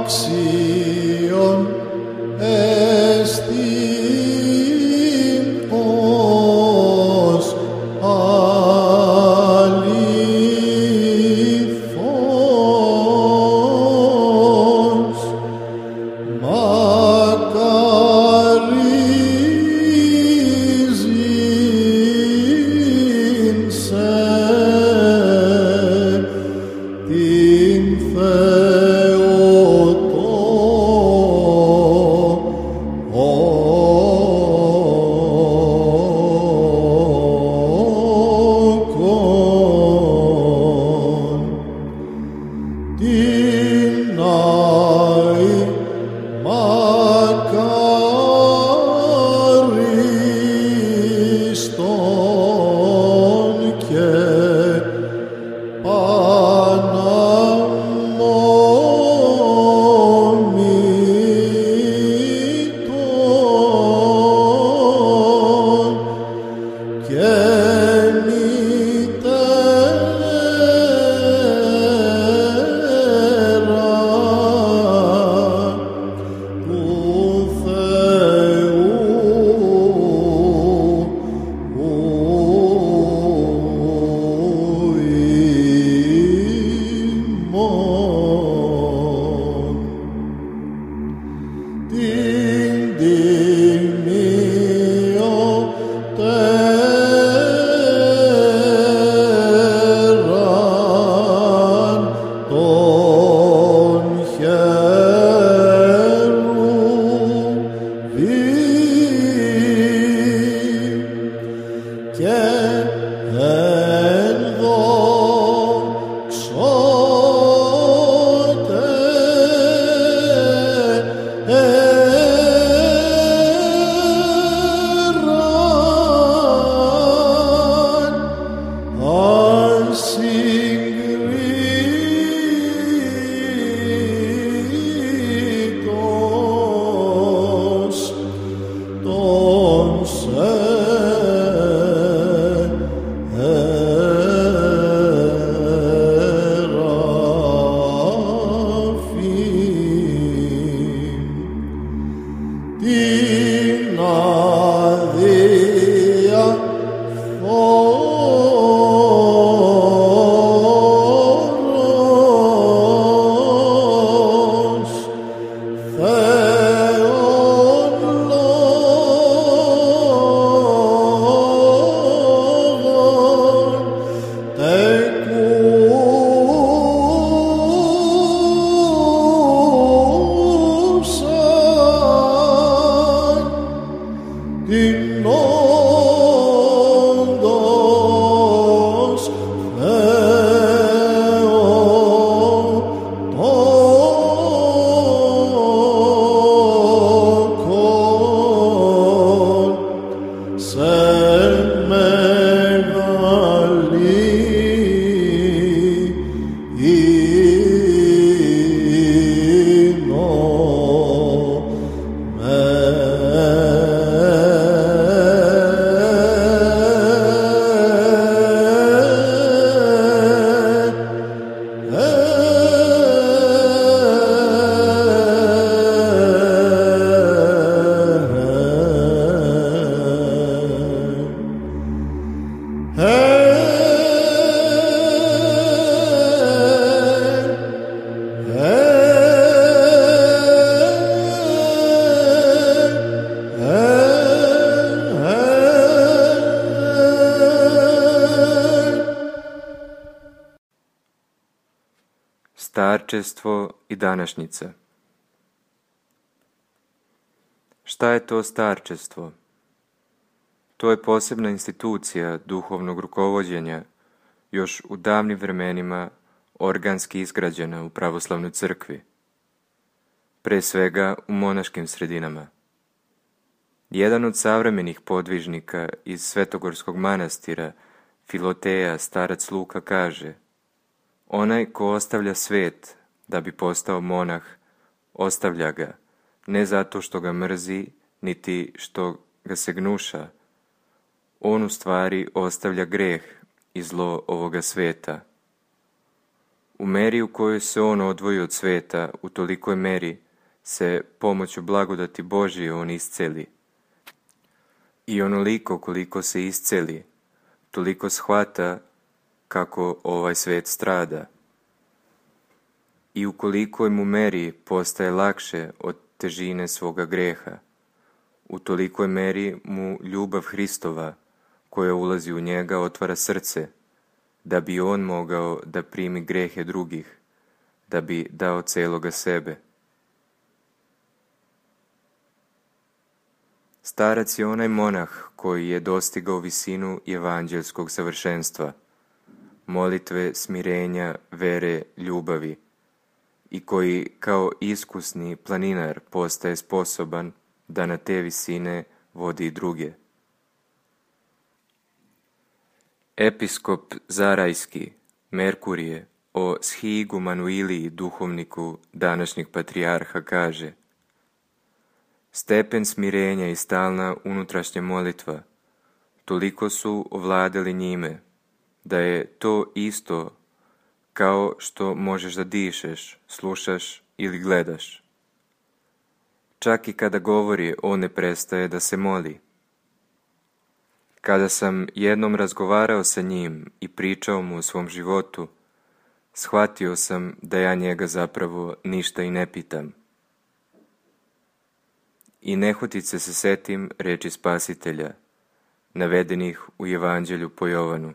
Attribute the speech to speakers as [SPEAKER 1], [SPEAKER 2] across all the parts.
[SPEAKER 1] άξιον εστίν ως αληθώς, μακαρίζειν σε την Θεοτόκον, την Άη μακαρίστον και παναμόμητον και μητέρα του Θεού ημών, την τιμιωτέραν των χερουβίμ και ασυγκρίτως των σεραφείμ, την αδιαφόρος Θεόν λόγον τεκούσαν την όντως Θεοτόκον σε μεγάλη
[SPEAKER 2] Starčestvo i današnjica. Šta je to starčestvo? To je posebna institucija duhovnog rukovođenja, još u davnim vremenima organski izgrađena u pravoslavnoj crkvi, pre svega u monaškim sredinama. Jedan od savremenih podvižnika iz Svetogorskog manastira, Filoteja, starac Luka, kaže: onaj ko ostavlja svet da bi postao monah, ostavlja ga, ne zato što ga mrzi, niti što ga se gnuša. On u stvari ostavlja greh i zlo ovoga sveta. U meri u kojoj se on odvoji od sveta, u tolikoj meri se pomoću blagodati Božje on isceli. I onoliko koliko se isceli, toliko shvata kako ovaj svet strada. I u kolikoj mu meri postaje lakše od težine svoga greha, u tolikoj meri mu ljubav Hristova, koja ulazi u njega, otvara srce, da bi on mogao da primi grehe drugih, da bi dao celoga sebe. Starac je onaj monah koji je dostigao visinu evanđelskog savršenstva, molitve, smirenja, vere, ljubavi, i koji kao iskusni planinar postaje sposoban da na te visine vodi i druge. Episkop Zarajski, Merkurije, o Shigumanu Iliji, duhovniku današnjeg patrijarha, kaže: stepen smirenja i stalna unutrašnja molitva toliko su ovladali njime, da je to isto kao što možeš da dišeš, slušaš ili gledaš. Čak i kada govori, on ne prestaje da se moli. Kada sam jednom razgovarao sa njim i pričao mu o svom životu, shvatio sam da ja njega zapravo ništa i ne pitam. I nehotice se setim reči Spasitelja, navedenih u Evanđelju po Jovanu: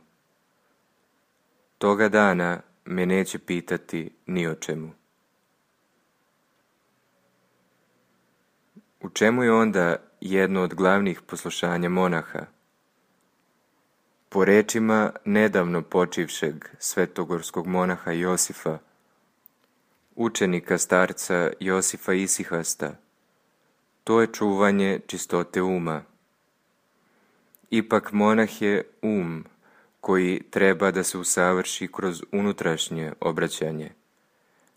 [SPEAKER 2] toga dana me neće pitati ni o čemu. U čemu je onda jedno od glavnih poslušanja monaha? Po rečima nedavno počivšeg svetogorskog monaha Josifa, učenika starca Josifa Isihasta, to je čuvanje čistote uma. Ipak monah je um koji treba da se usavrši kroz unutrašnje obraćanje,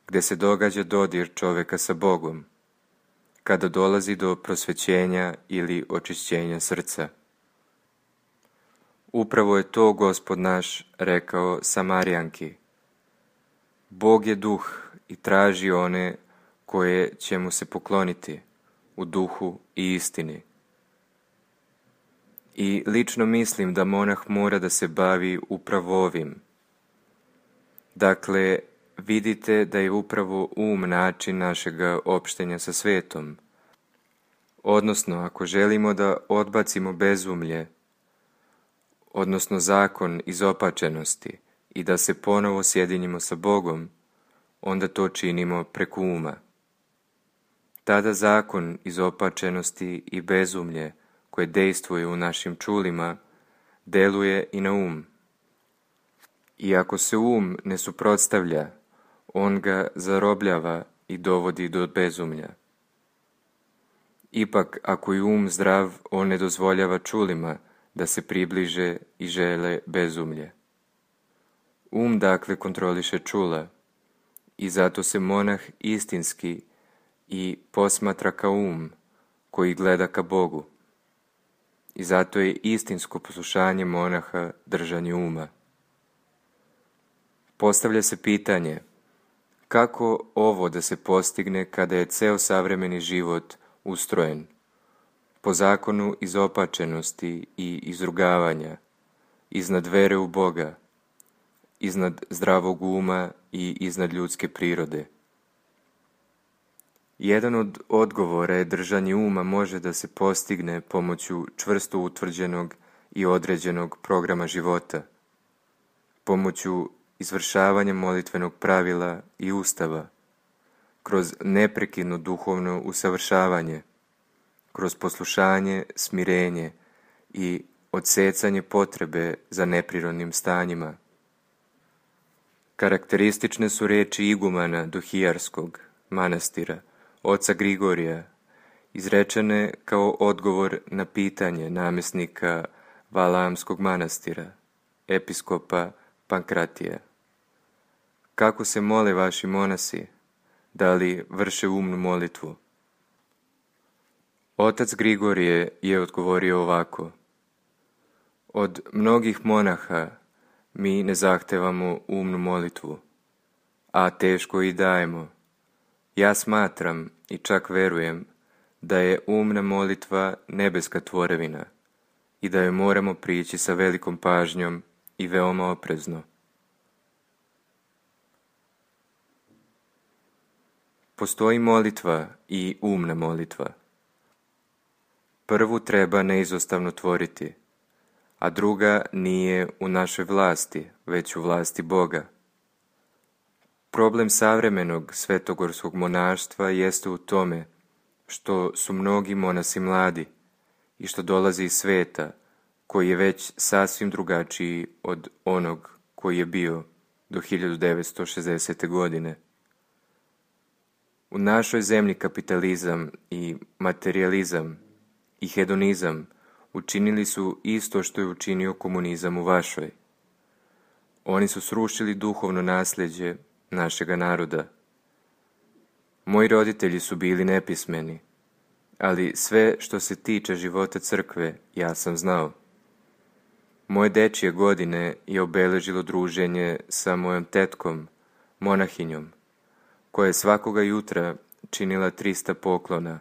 [SPEAKER 2] gde se događa dodir čoveka sa Bogom, kada dolazi do prosvećenja ili očišćenja srca. Upravo je to Gospod naš rekao Samarijanki: Bog je duh i traži one koje će mu se pokloniti u duhu i istini. I lično mislim da monah mora da se bavi upravo ovim. Dakle, vidite da je upravo način našega opštenja sa svetom. Odnosno, ako želimo da odbacimo bezumlje, odnosno zakon izopačenosti, i da se ponovo sjedinimo sa Bogom, onda to činimo preko uma. Tada zakon izopačenosti i bezumlje koje dejstvuje u našim čulima deluje i na um. I ako se ne suprotstavlja, on ga zarobljava i dovodi do bezumlja. Ipak, ako je zdrav, on ne dozvoljava čulima da se približe i žele bezumlje. Dakle, kontroliše čula i zato se monah istinski i posmatra kao koji gleda ka Bogu. I zato je istinsko poslušanje monaha držanje uma. Postavlja se pitanje: kako ovo da se postigne kada je ceo savremeni život ustrojen po zakonu izopačenosti i izrugavanja, iznad vere u Boga, iznad zdravog uma i iznad ljudske prirode? Jedan od odgovora je držanje uma može da se postigne pomoću čvrsto utvrđenog i određenog programa života, pomoću izvršavanja molitvenog pravila i ustava, kroz neprekidno duhovno usavršavanje, kroz poslušanje, smirenje i odsecanje potrebe za neprirodnim stanjima. Karakteristične su reči igumana Dohijarskog manastira, oca Grigorija, izrečene kao odgovor na pitanje namjesnika Valamskog manastira, episkopa Pankratija: kako se mole vaši monasi? Da li vrše umnu molitvu? Otac Grigorije je odgovorio ovako: od mnogih monaha mi ne zahtevamo umnu molitvu, a teško i dajemo. Ja smatram i čak verujem da je umna molitva nebeska tvorevina i da joj moramo prići sa velikom pažnjom i veoma oprezno. Postoji molitva i umna molitva. Prvu treba neizostavno tvoriti, a druga nije u našoj vlasti, već u vlasti Boga. Problem savremenog svetogorskog monaštva jeste u tome što su mnogi monasi mladi i što dolaze iz sveta koji je već sasvim drugačiji od onog koji je bio do 1960. godine. U našoj zemlji kapitalizam i materijalizam i hedonizam učinili su isto što je učinio komunizam u vašoj. Oni su srušili duhovno nasljeđe našega naroda. Moji roditelji su bili nepismeni, ali sve što se tiče života crkve ja sam znao. Moje dečije godine je obeležilo druženje sa mojom tetkom, monahinjom, koja je svakoga jutra činila 300 poklona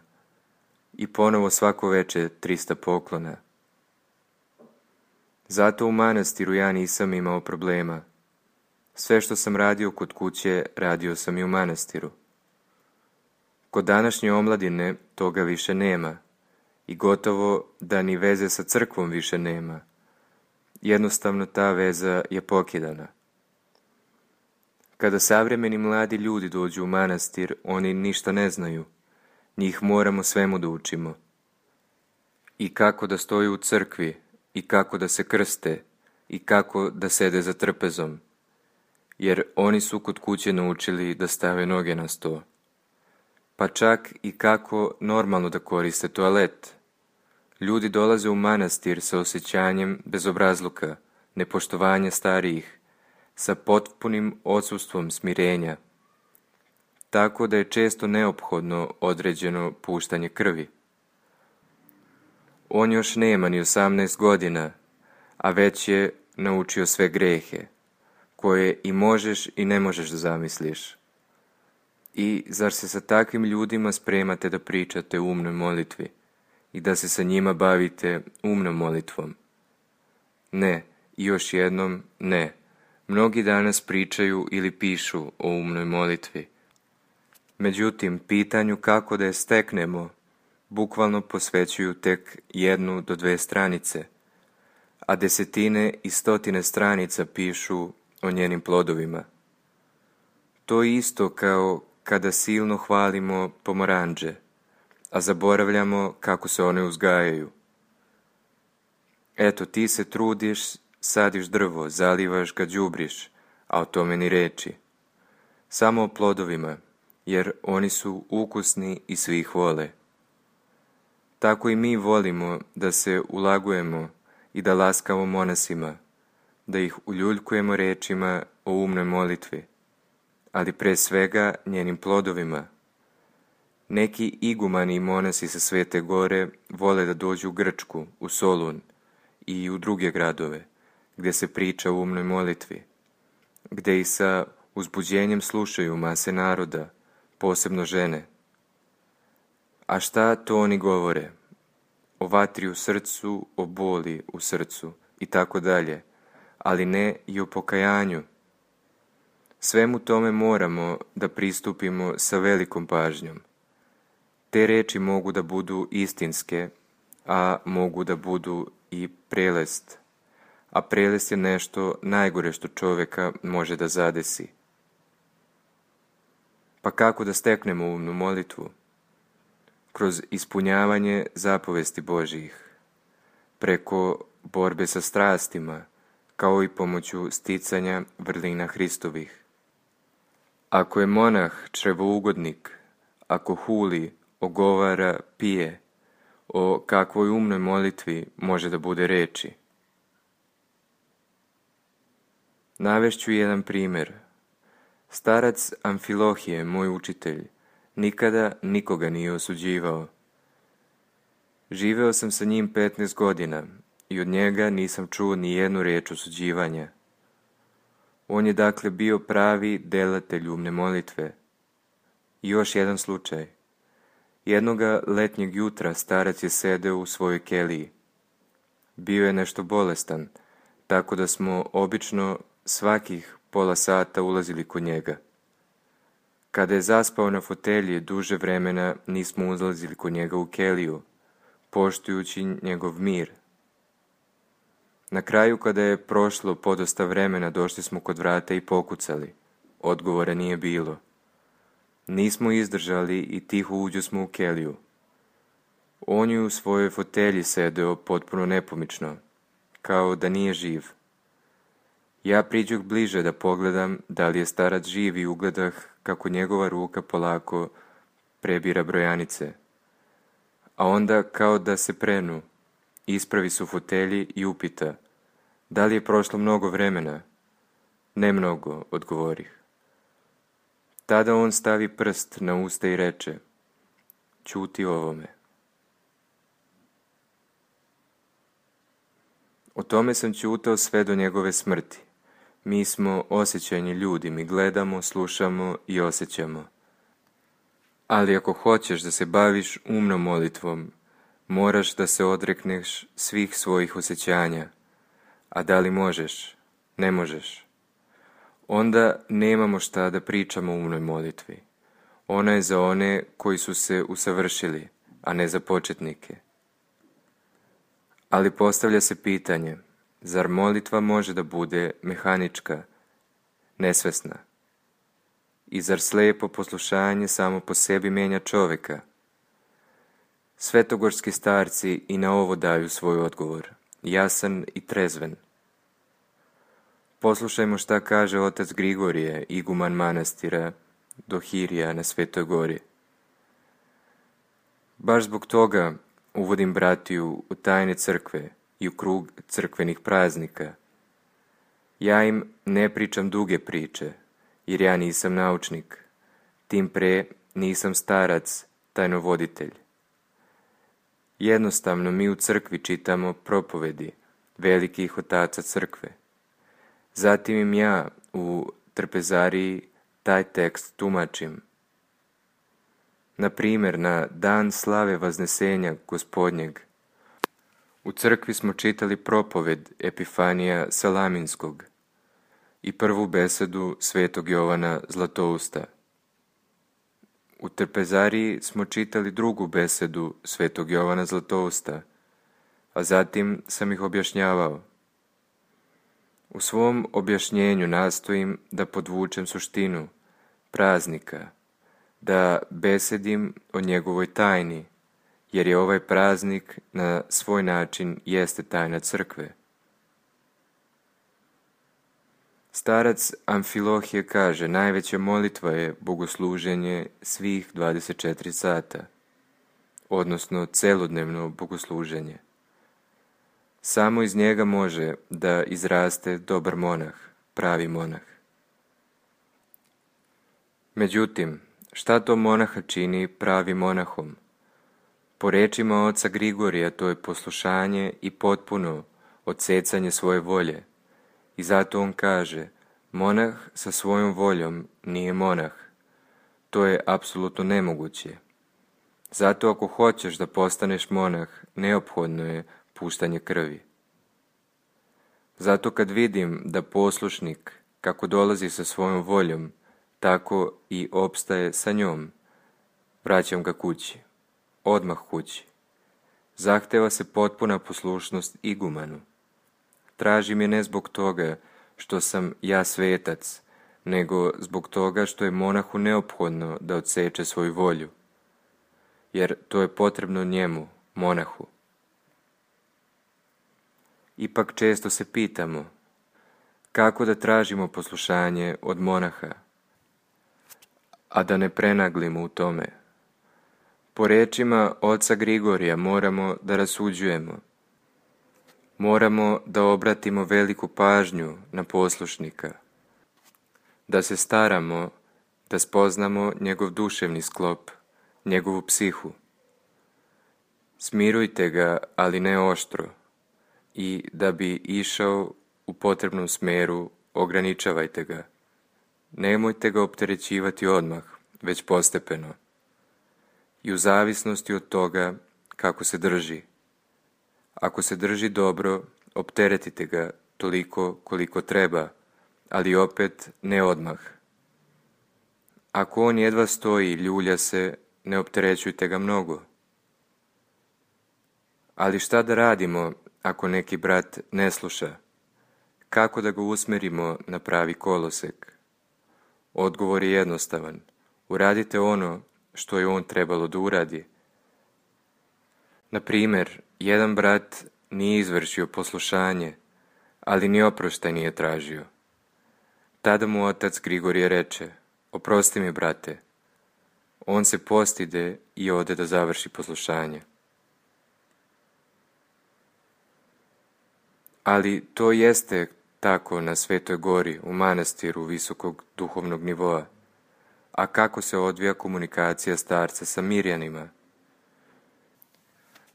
[SPEAKER 2] i ponovo svako veče 300 poklona. Zato u manastiru ja nisam imao problema. Sve što sam radio kod kuće, radio sam i u manastiru. Kod današnje omladine toga više nema i gotovo da ni veze sa crkvom više nema. Jednostavno ta veza je pokidana. Kada savremeni mladi ljudi dođu u manastir, oni ništa ne znaju. Njih moramo svemu da učimo. I kako da stoju u crkvi, i kako da se krste, i kako da sede za trpezom. Jer oni su kod kuće naučili da stave noge na sto. Pa čak i kako normalno da koriste toalet. Ljudi dolaze u manastir sa osjećanjem bezobrazluka, nepoštovanja starijih, sa potpunim odsustvom smirenja. Tako da je često neophodno određeno puštanje krvi. On još nema ni 18 godina, a već je naučio sve grehe, koje i možeš i ne možeš da zamisliš. I zar se sa takvim ljudima spremate da pričate o umnoj molitvi i da se sa njima bavite umnom molitvom? Ne, i još jednom ne. Mnogi danas pričaju ili pišu o umnoj molitvi. Međutim, pitanju kako da je steknemo, bukvalno posvećuju tek 1 do 2 stranice, a desetine i stotine stranica pišu o njenim plodovima. To je isto kao kada silno hvalimo pomoranđe, a zaboravljamo kako se one uzgajaju. Eto, ti se trudiš, sadiš drvo, zalivaš ga, đubriš, a o tome ni reči. Samo o plodovima, jer oni su ukusni i svi ih vole. Tako i mi volimo da se ulagujemo i da laskamo monasima, da ih uljuljkujemo rečima o umnoj molitvi, ali pre svega njenim plodovima. Neki igumani i monasi sa Svete Gore vole da dođu u Grčku, u Solun i u druge gradove, gdje se priča o umnoj molitvi, gdje i sa uzbuđenjem slušaju mase naroda, posebno žene. A šta to oni govore? O vatri u srcu, o boli u srcu i tako dalje, ali ne i o pokajanju. Svemu tome moramo da pristupimo sa velikom pažnjom. Te reči mogu da budu istinske, a mogu da budu i prelest. A prelest je nešto najgore što čovjeka može da zadesi. Pa kako da steknemo umnu molitvu? Kroz ispunjavanje zapovesti Božjih, preko borbe sa strastima, kao i pomoću sticanja vrlina Hristovih. Ako je monah črevougodnik, ako huli, ogovara, pije, o kakvoj umnoj molitvi može da bude reči? Navešću jedan primjer. Starac Amfilohije, moj učitelj, nikada nikoga nije osuđivao. Živeo sam sa njim 15 godina i od njega nisam čuo ni jednu reč osuđivanja. On je dakle bio pravi delatelj umne molitve. I još jedan slučaj. Jednoga letnjeg jutra starac je sedeo u svojoj keliji. Bio je nešto bolestan, tako da smo obično svakih pola sata ulazili kod njega. Kada je zaspao na fotelji, duže vremena nismo uzlazili kod njega u keliju, poštujući njegov mir. Na kraju, kada je prošlo podosta vremena, došli smo kod vrata i pokucali. Odgovora nije bilo. Nismo izdržali i tiho uđosmo u keliju. On je u svojoj fotelji sedeo potpuno nepomično, kao da nije živ. Ja priđoh bliže da pogledam da li je starac živ i ugledah kako njegova ruka polako prebira brojanice. A onda, kao da se prenu, ispravi se u fotelji i upita: da li je prošlo mnogo vremena? Ne mnogo, odgovorih. Tada on stavi prst na usta i reče: ćuti o ovome. O tome sam ćutao sve do njegove smrti. Mi smo osjećajni ljudi, mi gledamo, slušamo i osjećamo. Ali ako hoćeš da se baviš umnom molitvom, moraš da se odrekneš svih svojih osjećanja. A da li možeš? Ne možeš. Onda nemamo šta da pričamo o umnoj molitvi. Ona je za one koji su se usavršili, a ne za početnike. Ali postavlja se pitanje: zar molitva može da bude mehanička, nesvesna? I zar slijepo poslušanje samo po sebi menja čovjeka? Svetogorski starci i na ovo daju svoj odgovor, jasan i trezven. Poslušajmo šta kaže otac Grigorije, iguman manastira Dohirija na Svetoj gori. Baš zbog toga uvodim bratiju u tajne crkve i u krug crkvenih praznika. Ja im ne pričam duge priče, jer ja nisam naučnik, tim pre nisam starac, tajnovoditelj. Jednostavno mi u crkvi čitamo propovedi velikih otaca crkve. Zatim im ja u trpezariji taj tekst tumačim. Na primjer, na dan slave Vaznesenja Gospodnjeg, u crkvi smo čitali propoved Epifanija Salaminskog i prvu besedu svetog Jovana Zlatousta. U trpezariji smo čitali drugu besedu svetog Jovana Zlatousta, a zatim sam ih objašnjavao. U svom objašnjenju nastojim da podvučem suštinu praznika, da besedim o njegovoj tajni, jer je ovaj praznik na svoj način jeste tajna crkve. Starac Amfilohije kaže: najveća molitva je bogosluženje svih 24 sata, odnosno celodnevno bogosluženje. Samo iz njega može da izraste dobar monah, pravi monah. Međutim, šta to monaha čini pravim monahom? Po rečima oca Grigorija, to je poslušanje i potpuno odsecanje svoje volje. I zato on kaže: monah sa svojom voljom nije monah. To je apsolutno nemoguće. Zato ako hoćeš da postaneš monah, neophodno je puštanje krvi. Zato kad vidim da poslušnik, kako dolazi sa svojom voljom, tako i opstaje sa njom, vraćam ga kući, odmah kući. Zahteva se potpuna poslušnost igumanu. Tražim je ne zbog toga što sam ja svetac, nego zbog toga što je monahu neophodno da odseče svoju volju, jer to je potrebno njemu, monahu. Ipak često se pitamo, kako da tražimo poslušanje od monaha, a da ne prenaglimo u tome. Po rečima oca Grigorija moramo da rasuđujemo. Moramo da obratimo veliku pažnju na poslušnika, da se staramo da spoznamo njegov duševni sklop, njegovu psihu. Smirujte ga, ali ne oštro, i da bi išao u potrebnom smeru ograničavajte ga. Nemojte ga opterećivati odmah, već postepeno. I u zavisnosti od toga kako se drži. Ako se drži dobro, opteretite ga toliko koliko treba, ali opet ne odmah. Ako on jedva stoji i ljulja se, ne opterećujte ga mnogo. Ali šta da radimo ako neki brat ne sluša? Kako da ga usmerimo na pravi kolosek? Odgovor je jednostavan. Uradite ono što je on trebalo da uradi. Na primjer, jedan brat nije izvršio poslušanje, ali ni oproštaj nije tražio. Tada mu otac Grigorije reče: oprosti mi, brate. On se postide i ode da završi poslušanje. Ali to jeste tako na Svetoj gori, u manastiru visokog duhovnog nivoa. A kako se odvija komunikacija starca sa Mirjanima?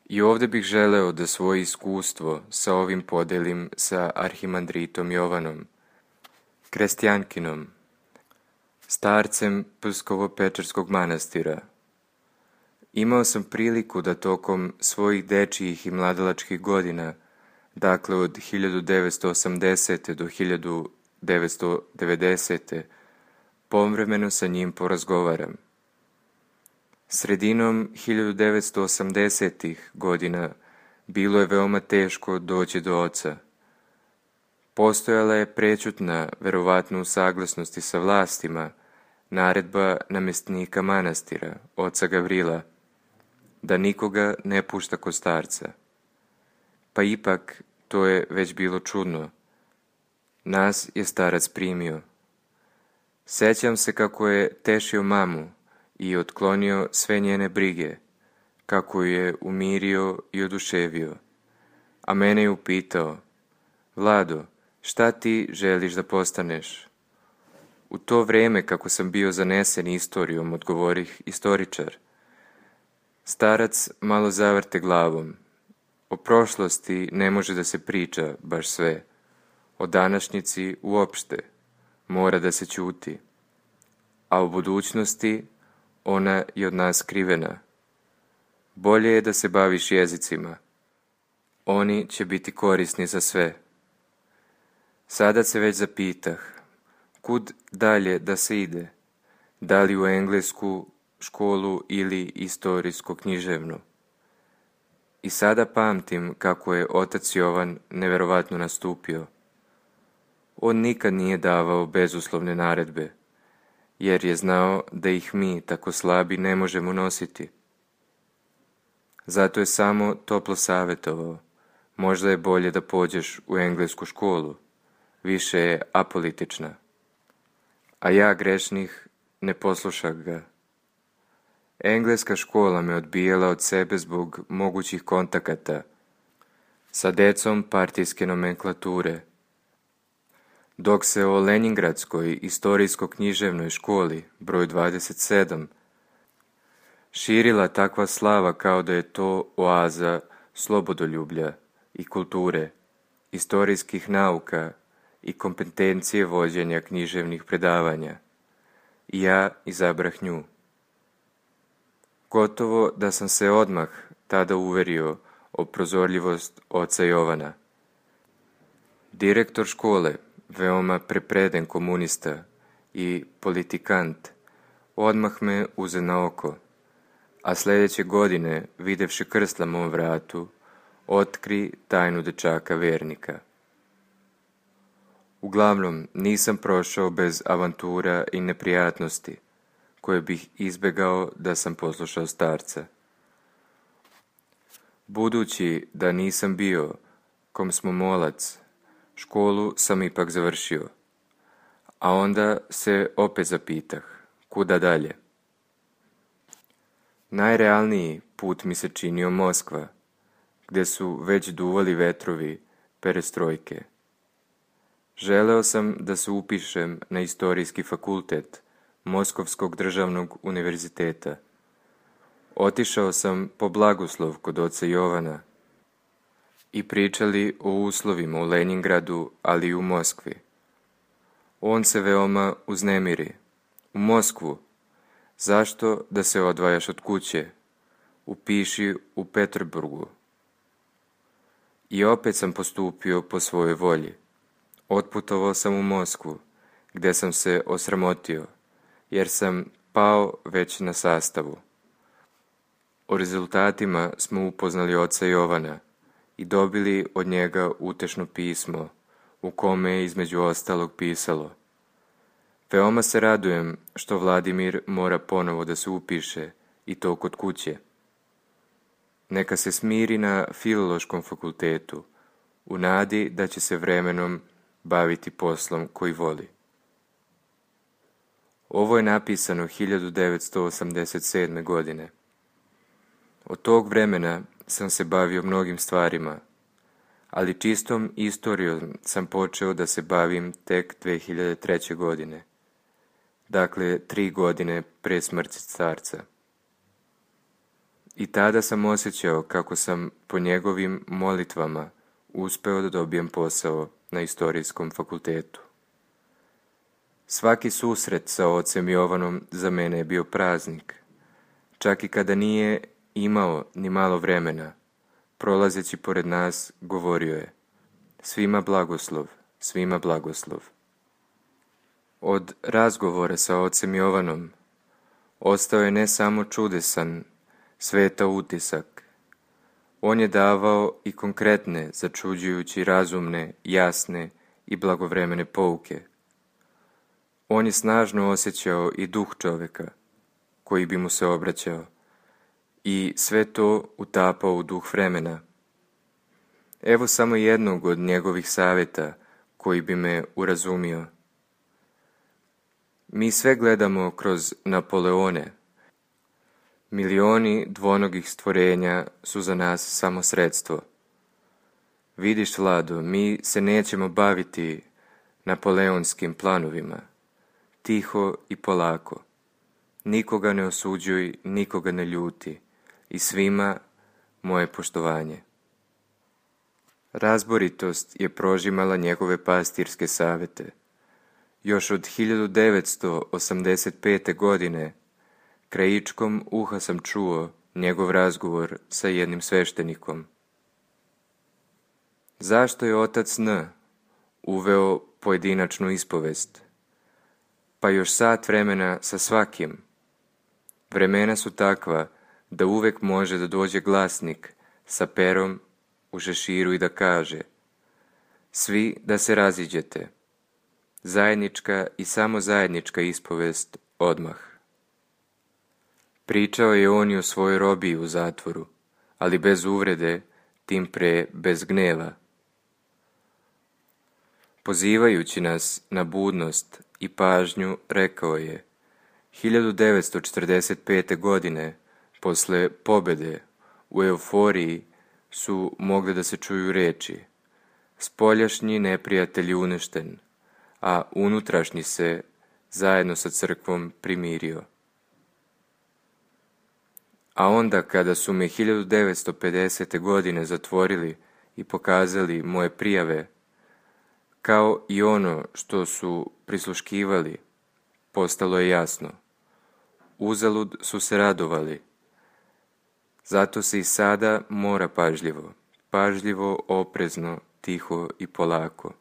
[SPEAKER 2] I ovdje bih želeo da svoje iskustvo sa ovim podelim sa arhimandritom Jovanom, krestjankinom, starcem Pskovo-Pečerskog manastira. Imao sam priliku da tokom svojih dečijih i mladalačkih godina, dakle od 1980. do 1990. povremeno sa njim porazgovaram. Sredinom 1980. godina bilo je veoma teško doći do oca. Postojala je prečutna, verovatno u saglasnosti sa vlastima, naredba namestnika manastira, oca Gavrila, da nikoga ne pušta kod starca. Pa ipak to je već bilo čudno. Nas je starac primio. Sećam se kako je tešio mamu i otklonio sve njene brige, kako je umirio i oduševio. A mene je upitao: Vlado, šta ti želiš da postaneš? U to vreme, kako sam bio zanesen istorijom, odgovorih: istoričar. Starac malo zavrte glavom. O prošlosti ne može da se priča baš sve. O današnjici uopšte mora da se ćuti. A o budućnosti, ona je od nas skrivena. Bolje je da se baviš jezicima. Oni će biti korisni za sve. Sada se već zapitah, kud dalje da se ide? Da li u englesku školu ili istorijsko-književnu? I sada pamtim kako je otac Jovan neverovatno nastupio. On nikad nije davao bezuslovne naredbe, jer je znao da ih mi, tako slabi, ne možemo nositi. Zato je samo toplo savjetovao: možda je bolje da pođeš u englesku školu, više je apolitična. A ja, grešnih, ne poslušah ga. Engleska škola me odbijala od sebe zbog mogućih kontakata sa decom partijske nomenklature, dok se o Leningradskoj istorijsko-književnoj školi, broj 27, širila takva slava kao da je to oaza slobodoljublja i kulture, istorijskih nauka i kompetencije vođenja književnih predavanja. I ja izabrah nju. Gotovo da sam se odmah tada uverio o prozorljivost oca Jovana. Direktor škole, veoma prepreden komunista i politikant, odmah me uze na oko, a sljedeće godine, videvši krst na mom vratu, otkri tajnu dečaka vernika. Uglavnom, nisam prošao bez avantura i neprijatnosti, koje bih izbegao da sam poslušao starca. Budući da nisam bio komsomolac, školu sam ipak završio, a onda se opet zapitah, kuda dalje. Najrealniji put mi se činio Moskva, gdje su već duvali vetrovi perestrojke. Želeo sam da se upišem na istorijski fakultet Moskovskog državnog univerziteta. Otišao sam po blagoslov kod oca Jovana i pričali o uslovima u Leningradu, ali i u Moskvi. On se veoma uznemiri. U Moskvu. Zašto da se odvajaš od kuće? Upiši u Peterburgu. I opet sam postupio po svojoj volji. Otputovao sam u Moskvu, gdje sam se osramotio, jer sam pao već na sastavu. O rezultatima smo upoznali oca Jovana i dobili od njega utešno pismo, u kome je između ostalog pisalo: Veoma se radujem što Vladimir mora ponovo da se upiše, i to kod kuće. Neka se smiri na Filološkom fakultetu, u nadi da će se vremenom baviti poslom koji voli. Ovo je napisano 1987. godine. Od tog vremena sam se bavio mnogim stvarima, ali čistom istorijom sam počeo da se bavim tek 2003. godine. Dakle, 3 godine pre smrti starca. I tada sam osjećao kako sam po njegovim molitvama uspeo da dobijem posao na Istorijskom fakultetu. Svaki susret sa ocem Jovanom za mene je bio praznik. Čak i kada nije imao ni malo vremena, prolazeći pored nas, govorio je: svima blagoslov, svima blagoslov. Od razgovora sa ocem Jovanom ostao je ne samo čudesan, sveta utisak. On je davao i konkretne, začuđujući razumne, jasne i blagovremene pouke. On je snažno osjećao i duh čoveka, koji bi mu se obraćao, i sve to utapao u duh vremena. Evo samo jednog od njegovih savjeta koji bi me urazumio. Mi sve gledamo kroz Napoleone. Milioni dvonogih stvorenja su za nas samo sredstvo. Vidiš, Vlado, mi se nećemo baviti napoleonskim planovima. Tiho i polako. Nikoga ne osuđuj, nikoga ne ljuti. I svima moje poštovanje. Razboritost je prožimala njegove pastirske savjete. Još od 1985. godine krajičkom uha sam čuo njegov razgovor sa jednim sveštenikom. Zašto je otac N uveo pojedinačnu ispovest? Pa još sat vremena sa svakim. Vremena su takva da uvek može da dođe glasnik sa perom u šeširu i da kaže: svi da se raziđete. Zajednička i samo zajednička ispovest odmah. Pričao je on i o svojoj robiji u zatvoru, ali bez uvrede, tim pre bez gneva. Pozivajući nas na budnost i pažnju, rekao je: 1945. godine, posle pobede, u euforiji su mogle da se čuju reči: spoljašnji neprijatelj uništen, a unutrašnji se zajedno sa crkvom primirio. A onda kada su me 1950. godine zatvorili i pokazali moje prijave, kao i ono što su prisluškivali, postalo je jasno. Uzalud su se radovali. Zato se i sada mora pažljivo, oprezno, tiho i polako.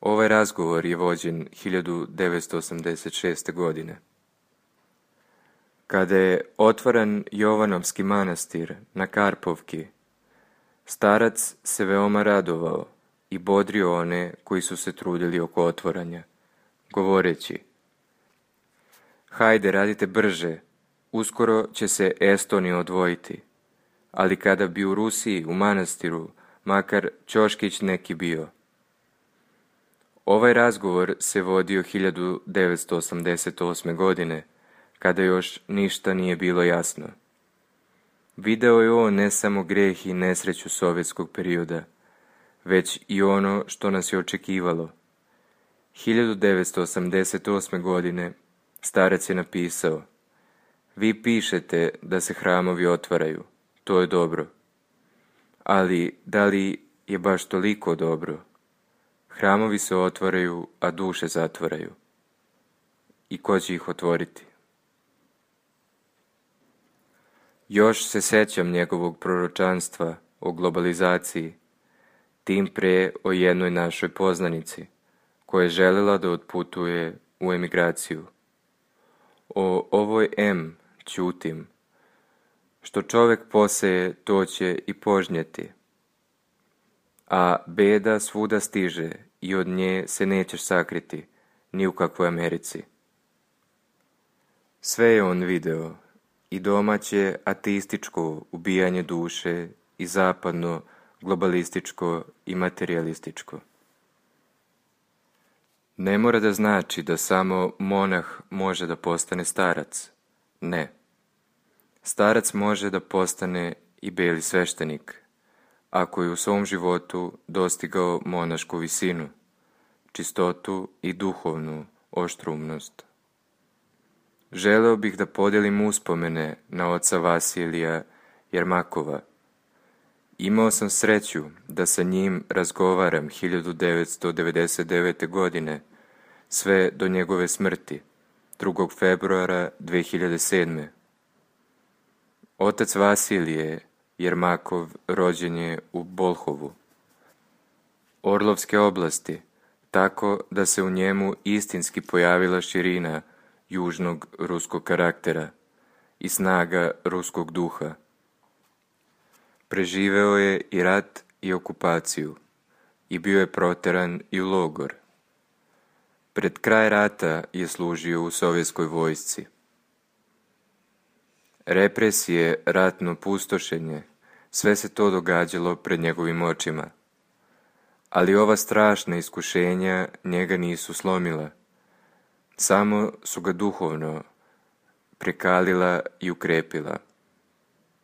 [SPEAKER 2] Ovaj razgovor je vođen 1986. godine. Kada je otvoren Jovanovski manastir na Karpovki, starac se veoma radovao i bodrio one koji su se trudili oko otvaranja, govoreći: hajde, radite brže, uskoro će se Estonija odvojiti, ali kada bi u Rusiji, u manastiru, makar ćoškić neki bio. Ovaj razgovor se vodio 1988. godine, kada još ništa nije bilo jasno. Video je on ne samo greh i nesreću sovjetskog perioda, već i ono što nas je očekivalo. 1988. godine starac je napisao: vi pišete da se hramovi otvaraju, to je dobro. Ali da li je baš toliko dobro? Hramovi se otvaraju, a duše zatvaraju. I ko će ih otvoriti? Još se sećam njegovog proročanstva o globalizaciji, tim pre o jednoj našoj poznanici, koja je željela da otputuje u emigraciju. O ovoj ćutim. Što čovek poseje, to će i požnjeti. A beda svuda stiže i od nje se nećeš sakriti, ni u kakvoj Americi. Sve je on video, i domaće ateističko ubijanje duše i zapadno globalističko i materijalističko. Ne mora da znači da samo monah može da postane starac. Ne. Starac može da postane i beli sveštenik, ako je u svom životu dostigao monašku visinu, čistotu i duhovnu oštrumnost. Želeo bih da podijelim uspomene na oca Vasilija Jermakova. Imao sam sreću da sa njim razgovaram 1999. godine, sve do njegove smrti, 2. februara 2007. Otac Vasilije Jermakov rođen je u Bolhovu, Orlovske oblasti, tako da se u njemu istinski pojavila širina južnog ruskog karaktera i snaga ruskog duha. Preživeo je i rat i okupaciju i bio je proteran i u logor. Pred kraj rata je služio u sovjetskoj vojsci. Represije, ratno pustošenje, sve se to događalo pred njegovim očima. Ali ova strašna iskušenja njega nisu slomila. Samo su ga duhovno prekalila i ukrepila.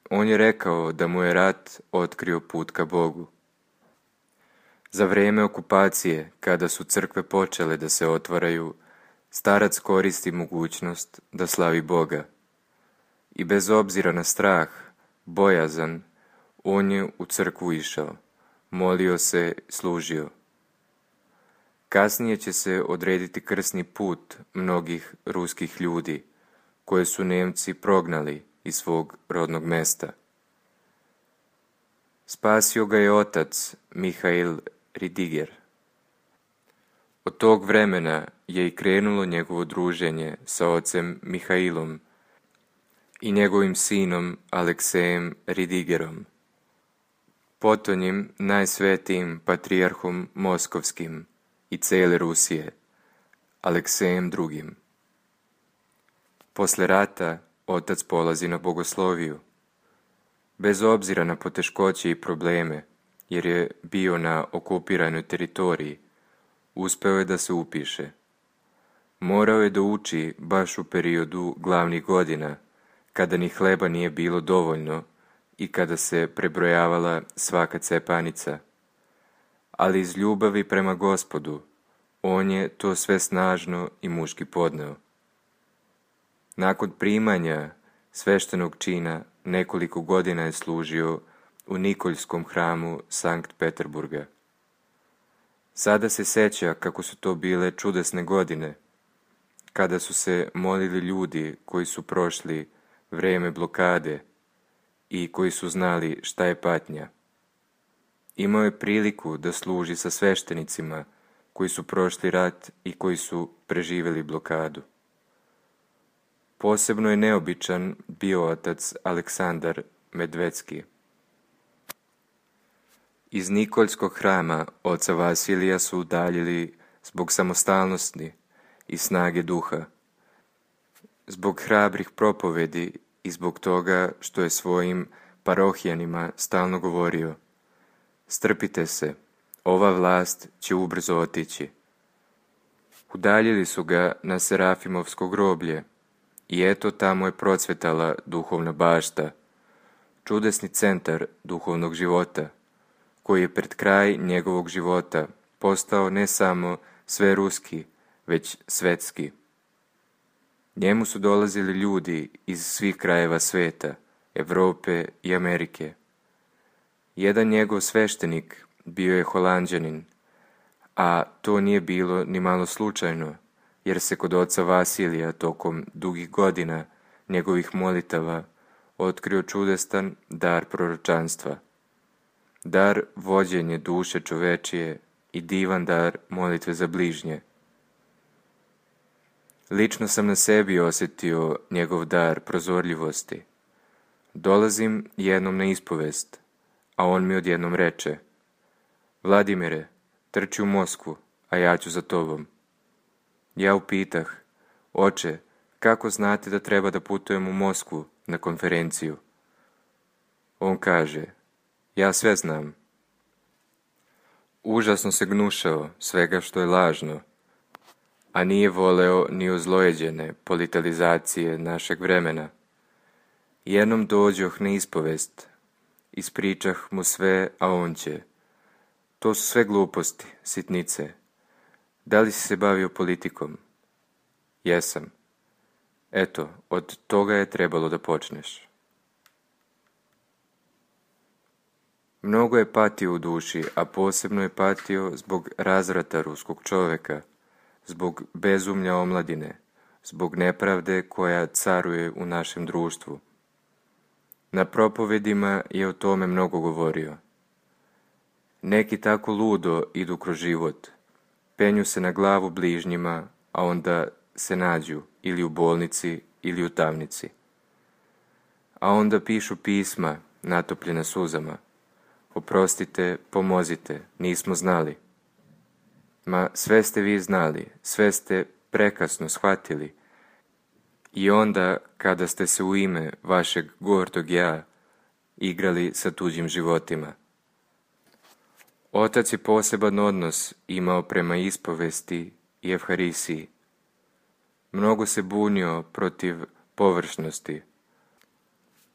[SPEAKER 2] On je rekao da mu je rat otkrio put ka Bogu. Za vreme okupacije, kada su crkve počele da se otvaraju, starac koristi mogućnost da slavi Boga. I bez obzira na strah, bojazan, on je u crkvu išao, molio se, služio. Kasnije će se odrediti krsni put mnogih ruskih ljudi, koje su Nemci prognali iz svog rodnog mesta. Spasio ga je otac Mihail Ridiger. Od tog vremena je i krenulo njegovo druženje sa ocem Mihailom i njegovim sinom Aleksejem Ridigerom, potonjim najsvetijim patrijarhom Moskovskim i cele Rusije, Aleksejem II. Posle rata otac polazi na bogosloviju. Bez obzira na poteškoće i probleme, jer je bio na okupiranoj teritoriji, uspeo je da se upiše. Morao je da uči baš u periodu glavnih godina, kada ni hleba nije bilo dovoljno i kada se prebrojavala svaka cepanica. Ali iz ljubavi prema Gospodu, on je to sve snažno i muški podneo. Nakon primanja sveštenog čina, nekoliko godina je služio u Nikoljskom hramu Sankt Peterburga. Sada se seća kako su to bile čudesne godine, kada su se molili ljudi koji su prošli vreme blokade i koji su znali šta je patnja. Imao je priliku da služi sa sveštenicima koji su prošli rat i koji su preživjeli blokadu. Posebno je neobičan bio otac Aleksandar Medvedski. Iz Nikoljskog hrama oca Vasilija su udaljili zbog samostalnosti i snage duha, zbog hrabrih propovedi i zbog toga što je svojim parohijanima stalno govorio: strpite se, ova vlast će ubrzo otići. Udaljili su ga na Serafimovsko groblje i eto tamo je procvetala duhovna bašta, čudesni centar duhovnog života, koji je pred kraj njegovog života postao ne samo sveruski, već svetski. Njemu su dolazili ljudi iz svih krajeva sveta, Evrope i Amerike. Jedan njegov sveštenik bio je Holanđanin, a to nije bilo ni malo slučajno, jer se kod oca Vasilija tokom dugih godina njegovih molitava otkrio čudestan dar proročanstva, dar vođenje duše čovečije i divan dar molitve za bližnje. Lično sam na sebi osjetio njegov dar prozorljivosti. Dolazim jednom na ispovest, a on mi odjednom reče: Vladimire, trči u Moskvu, a ja ću za tobom. Ja upitah: Oče, kako znate da treba da putujem u Moskvu na konferenciju? On kaže: Ja sve znam. Užasno se gnušao svega što je lažno, a nije voleo ni ozlojeđene politalizacije našeg vremena. Jednom dođoh na ispovest, ispričah mu sve, a on će: To su sve gluposti, sitnice. Da li si se bavio politikom? Jesam. Eto, od toga je trebalo da počneš. Mnogo je patio u duši, a posebno je patio zbog razvrata ruskog čoveka, zbog bezumlja omladine, zbog nepravde koja caruje u našem društvu. Na propovedima je o tome mnogo govorio. Neki tako ludo idu kroz život, penju se na glavu bližnjima, a onda se nađu ili u bolnici ili u tamnici. A onda pišu pisma natopljena suzama: Oprostite, pomozite, nismo znali. Ma sve ste vi znali, sve ste prekasno shvatili. I onda, kada ste se u ime vašeg gordog ja igrali sa tuđim životima. Otac je poseban odnos imao prema ispovesti i evharisiji. Mnogo se bunio protiv površnosti,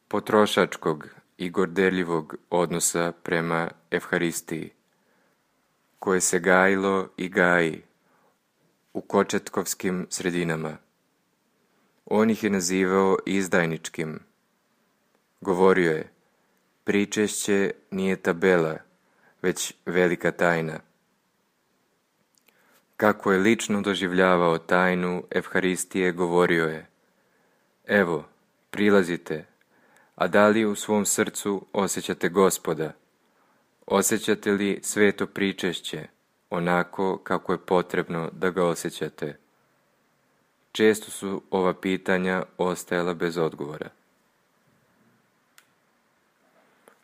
[SPEAKER 2] potrošačkog i gordeljivog odnosa prema evharistiji, koje se gajilo i gaji u kočetkovskim sredinama. On ih je nazivao izdajničkim. Govorio je: Pričešće nije tabela, već velika tajna. Kako je lično doživljavao tajnu evharistije, govorio je: Evo, prilazite, a da li u svom srcu osjećate Gospoda? Osjećate li sveto pričešće, onako kako je potrebno da ga osjećate? Često su ova pitanja ostajala bez odgovora.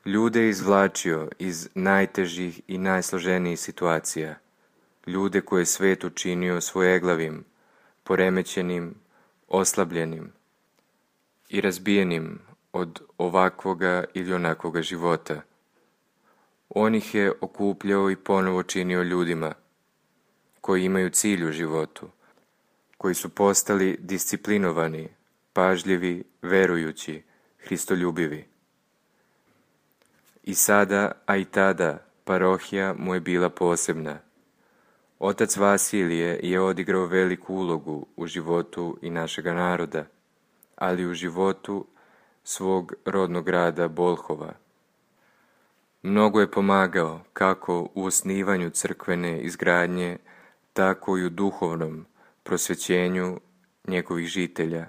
[SPEAKER 2] Ljude je izvlačio iz najtežih i najsloženijih situacija, ljude koje je svet učinio svojeglavim, poremećenim, oslabljenim i razbijenim od ovakvoga ili onakvoga života. On ih je okupljao i ponovo činio ljudima koji imaju cilj u životu, koji su postali disciplinovani, pažljivi, verujući, hristoljubivi. I sada, a i tada, parohija mu je bila posebna. Otac Vasilije je odigrao veliku ulogu u životu i našega naroda, ali u životu svog rodnog grada Bolhova. Mnogo je pomagao kako u osnivanju crkvene izgradnje, tako i u duhovnom prosvećenju njegovih žitelja.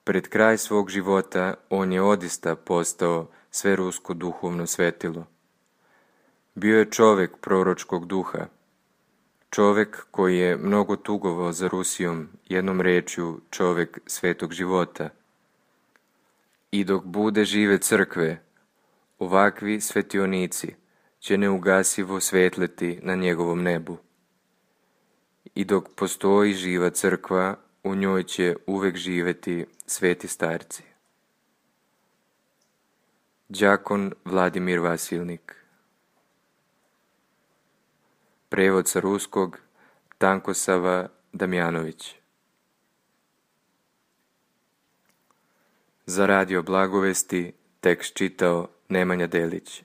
[SPEAKER 2] Pred kraj svog života on je odista postao sverusko duhovno svetilo. Bio je čovek proročkog duha, čovek koji je mnogo tugovao za Rusijom, jednom rečju čovek svetog života. I dok bude žive crkve, ovakvi svetionici će neugasivo svetleti na njegovom nebu. I dok postoji živa crkva, u njoj će uvek živeti sveti starci. Đakon Vladimir Vasilnik. Prevod sa ruskog Tankosava Damjanović. Za Radio Blagovesti tekst čitao Nemanja Delić.